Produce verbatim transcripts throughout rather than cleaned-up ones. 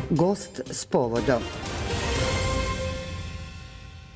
Gost s povodom.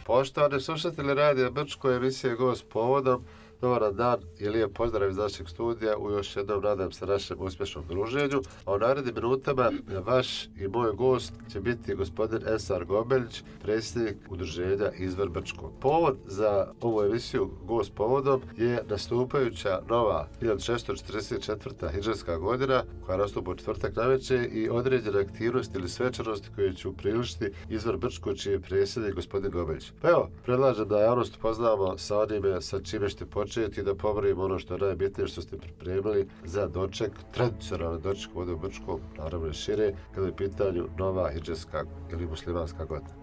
Poštovani slušatelji Radija Brčko, emisije Gost s povodom. Dobar dan i lijep pozdrav iz našeg studija u još jednom, nadam se, našem uspješnom druženju. A u narednim minutama vaš i moj gost će biti gospodin Ensar Gomelić, predsjednik udruženja Izvor Brčko. Povod za ovu emisiju Gost s povodom je nastupajuća nova hiljadu šessto četrdeset četvrta hidžrska godina koja nastupa u četvrtak navečer i određene aktivnosti ili svečanosti koje će upriličiti Izvor Brčko, čiji je predsjednik gospodin Gomelić. Pa evo, predlažem da javnost upoznamo sa onime sa čime ćete početi i da pomerimo ono što je najbitnije što ste pripremili za doček, tradicionalni doček ovdje u Brčkom, naravno i šire, kada je pitanju nova hidžrska ili muslimanska godina.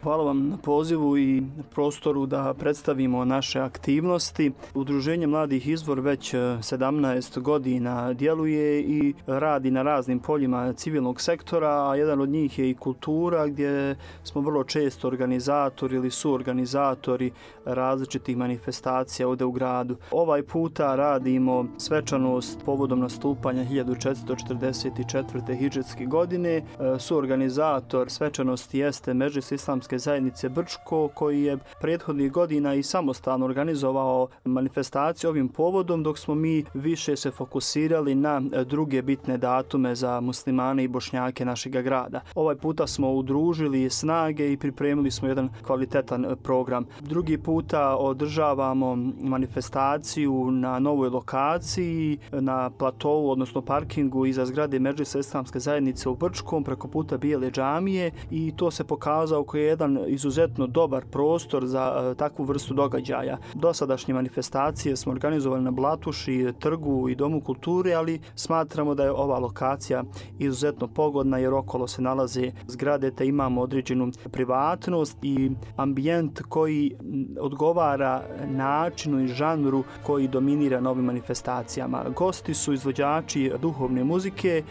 Hvala vam na pozivu i prostoru da predstavimo naše aktivnosti. Udruženje Mladih Izvor već sedamnaest godina djeluje i radi na raznim poljima civilnog sektora, a jedan od njih je i kultura, gdje smo vrlo često organizatori ili suorganizatori različitih manifestacija ovdje u gradu. Ovaj puta radimo svečanost povodom nastupanja hiljadu četiristo četrdeset četvrte hidžrske godine. Suorganizator svečanosti jeste Medžlis Islamske zajednice Brčko, koji je prethodnih godina i samostalno organizovao manifestaciju ovim povodom, dok smo mi više se fokusirali na druge bitne datume za muslimane i bošnjake našeg grada. Ovaj puta smo udružili snage i pripremili smo jedan kvalitetan program. Drugi puta održavamo manifestaciju na novoj lokaciji, na platovu, odnosno parkingu iza zgrade Medžlisa Islamske zajednice u Brčkom, preko puta Bijele džamije, i to se pokazao kao jedan izuzetno dobar prostor za uh, takvu vrstu događaja. Dosadašnje manifestacije smo organizovali na Blatuši, trgu i Domu kulture, ali smatramo da je ova lokacija izuzetno pogodna jer okolo se nalaze zgrade te imamo određenu privatnost i ambijent koji odgovara načinu i žanru koji dominira na ovim manifestacijama. Gosti su izvođači duhovne muzike,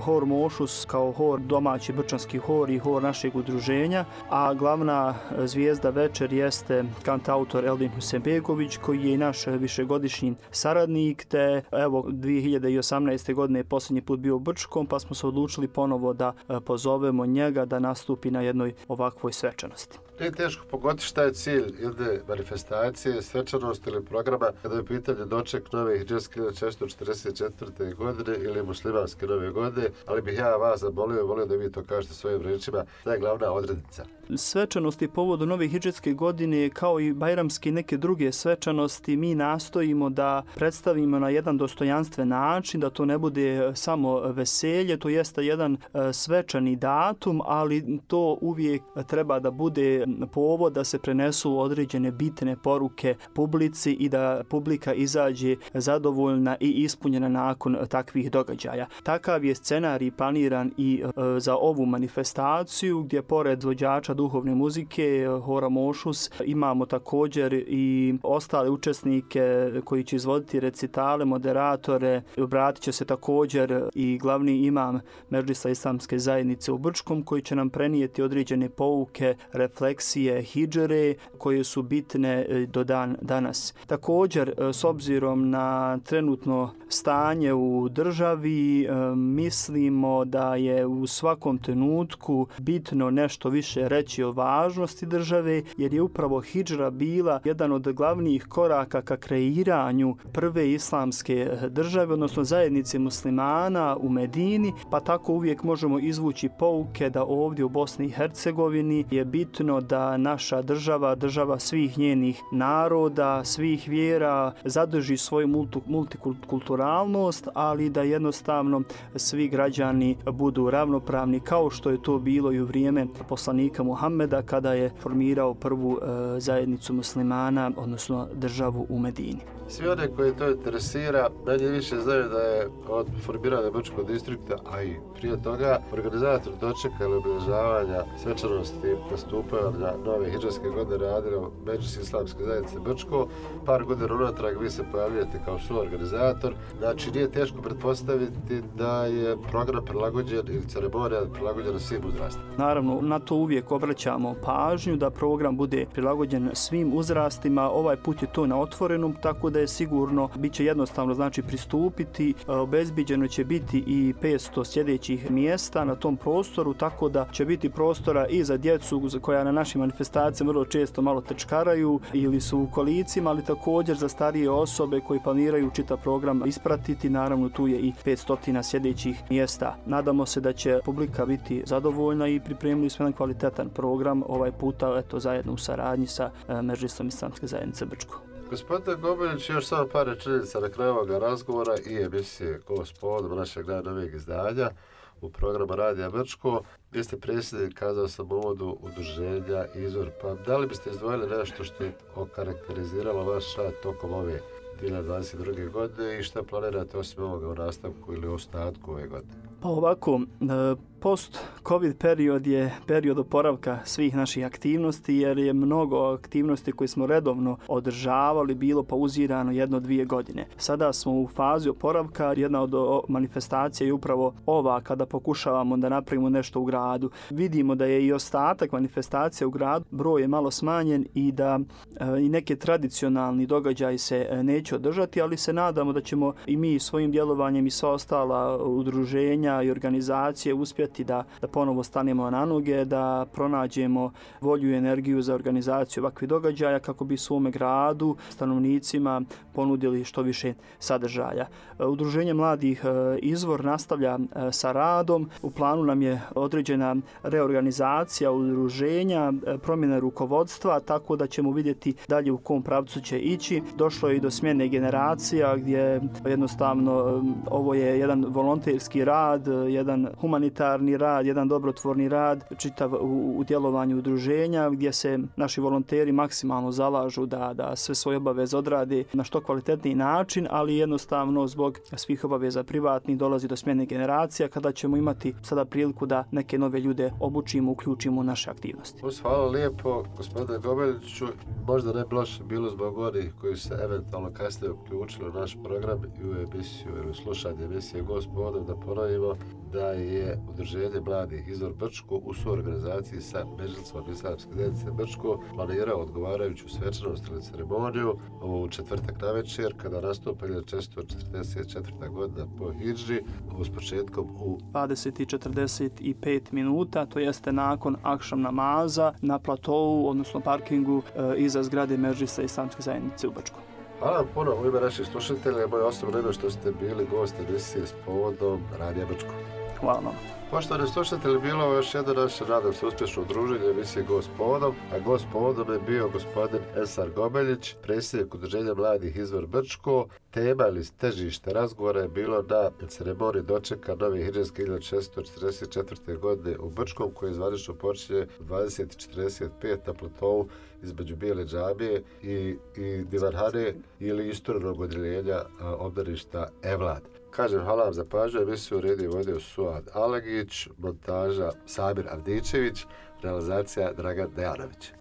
hor Mošus kao hor, domaći brčanski hor i hor našeg udruženja, a glavna zvijezda večer jeste kantautor Eldin Husenbegović, koji je i naš višegodišnji saradnik, te evo dvije hiljade osamnaeste. godine je posljednji put bio u Brčkom, pa smo se odlučili ponovo da pozovemo njega da nastupi na jednoj ovakvoj svečanosti. Nije teško pogoditi šta je cilj jedne manifestacije, svečanosti ili programa kada je pitanje doček nove hidžrske hiljadu šessto četrdeset četvrte godine ili muslimanske nove godine, ali bih ja vas zamolio, volio da vi to kažete svojim riječima, da je glavna odrednica. Svečanosti povodom nove hidžrske godine, kao i bajramske i neke druge svečanosti, mi nastojimo da predstavimo na jedan dostojanstven način, da to ne bude samo veselje, to jeste jedan svečani datum, ali to uvijek treba da bude povod da se prenesu određene bitne poruke publici i da publika izađe zadovoljna i ispunjena nakon takvih događaja. Takav je scenarij planiran i e, za ovu manifestaciju, gdje pored vođača duhovne muzike hora Mošus imamo također i ostale učesnike koji će izvoditi recitale, moderatore. Obratit će se također i glavni imam Medžlisa Islamske zajednice u Brčkom, koji će nam prenijeti određene pouke, refleksije hidžre koje su bitne do dan danas. Također, s obzirom na trenutno stanje u državi, mislimo da je u svakom trenutku bitno nešto više reći o važnosti države, jer je upravo hidžra bila jedan od glavnih koraka ka kreiranju prve islamske države, odnosno zajednice muslimana u Medini, pa tako uvijek možemo izvući pouke da ovdje u Bosni i Hercegovini je bitno da naša država, država svih njenih naroda, svih vjera, zadrži svoju multikulturalnost, ali da jednostavno svi građani budu ravnopravni, kao što je to bilo i u vrijeme poslanika Muhammeda kada je formirao prvu e, zajednicu muslimana, odnosno državu u Medini. Svi one koji to interesira, manje više znaju da je od formiranja Brčkog distrikta, a i prije toga, organizator dočeka ili obilježavanja svečanosti nastupaju otvaranja nove hidžarske godine radili u Medžlisi islamske zajednice Brčko. Par godina unatrag vi se pojavljujete kao suorganizator. Znači nije teško pretpostaviti da je program prilagođen ili ceremonija prilagođena svim uzrastima. Naravno, na to uvijek obraćamo pažnju da program bude prilagođen svim uzrastima. Ovaj put je to na otvorenom, tako da je sigurno bit će jednostavno znači pristupiti. Obezbiđeno će biti i petsto sljedećih mjesta na tom prostoru, tako da će biti prostora i za djecu koja na našim manifestacijama vrlo često malo tečkaraju ili su u kolicima, ali također za starije osobe koji planiraju čitav program ispratiti. Naravno, tu je i petsto sljedećih mjesta. Nadamo se da će publika biti zadovoljna i pripremili smo jedan kvalitetan program ovaj puta, eto, zajedno u saradnji sa Medžlisom islamske zajednice Brčko. Gospodine Gobeljić, još samo par rečenica na kraju ovoga razgovora i emisije Gospodom našeg najnovijeg izdanja u programu Radija Brčko. Vi ste predsjednik, kazao sam u uvodu, udruženja Izvor, pa da li biste izdvojili nešto što je okarakteriziralo vaš rad tokom ove dvije hiljade dvadeset druge. godine i šta planirate osim ovoga u nastavku ili u ostatku ove godine? Pa ovako, post-covid period je period oporavka svih naših aktivnosti, jer je mnogo aktivnosti koje smo redovno održavali bilo pauzirano jedno dvije godine. Sada smo u fazi oporavka. Jedna od manifestacija je upravo ova, kada pokušavamo da napravimo nešto u gradu. Vidimo da je i ostatak manifestacija u gradu, broj je malo smanjen i da i neke tradicionalni događaji se neće održati, ali se nadamo da ćemo i mi svojim djelovanjem i sva ostala udruženja i organizacije uspjeti da, da ponovo stanemo na noge, da pronađemo volju i energiju za organizaciju ovakvih događaja kako bi svome gradu, stanovnicima ponudili što više sadržaja. Udruženje mladih Izvor nastavlja sa radom. U planu nam je određena reorganizacija udruženja, promjena rukovodstva, tako da ćemo vidjeti dalje u kom pravcu će ići. Došlo je i do smjene generacija gdje jednostavno ovo je jedan volonterski rad, jedan humanitarni rad, jedan dobrotvorni rad, čitav u, u djelovanju udruženja gdje se naši volonteri maksimalno zalažu da, da sve svoje obaveze odrade na što kvalitetniji način, ali jednostavno zbog svih obaveza privatnih dolazi do smjene generacija kada ćemo imati sada priliku da neke nove ljude obučimo, uključimo u naše aktivnosti. Hvala lijepo, gospodine Gobeljiću. Možda ne bi loše bilo zbog onih koji se eventualno kasnije uključili u naš program i u emisiju ili slušanje emisije Gospodom, da ponovimo da je udruženje mladih Izvor Brčko u suorganizaciji sa Medžlisom islamske zajednice Brčko planirao odgovarajuću svečanost ili ceremoniju u četvrtak navečer kada nastupa četiristo četrdeset četvrta. godina po hidži s početkom u dvadeset i četrdeset pet minuta, to jeste nakon akšam namaza na platovu, odnosno parkingu e, iza zgrade Medžlisa islamske zajednice u Brčko. Hvala vam puno u ime naših slušatelja, moje osobno ime što ste bili gosti emisije s povodom Radija Brčko. Hvala vam. Poštovani slušatelji, bilo je još jedno naše, nadam se, uspješno druženje emisije Gost povodom, a gost povodom je bio gospodin Ensar Gobeljić, predsjednik udruženja mladih Izvor Brčko. Tema ili težište razgovora je bilo na ceremoniji dočeka nove hidžarske hiljadu šesnaesto četrdeset četvrte. godine u Brčkom, koje je zvanično počinje u dvadeset četrdeset pet na platovu između Bijele džamije i, i Divanhane ili isturenog odjeljenja obdaništa Evlad. Kažem, hvala vam za pažnju, emisiju uredio i vodio Suad Alegić, montaža Samir Avdičević, realizacija Dragan Dejanović.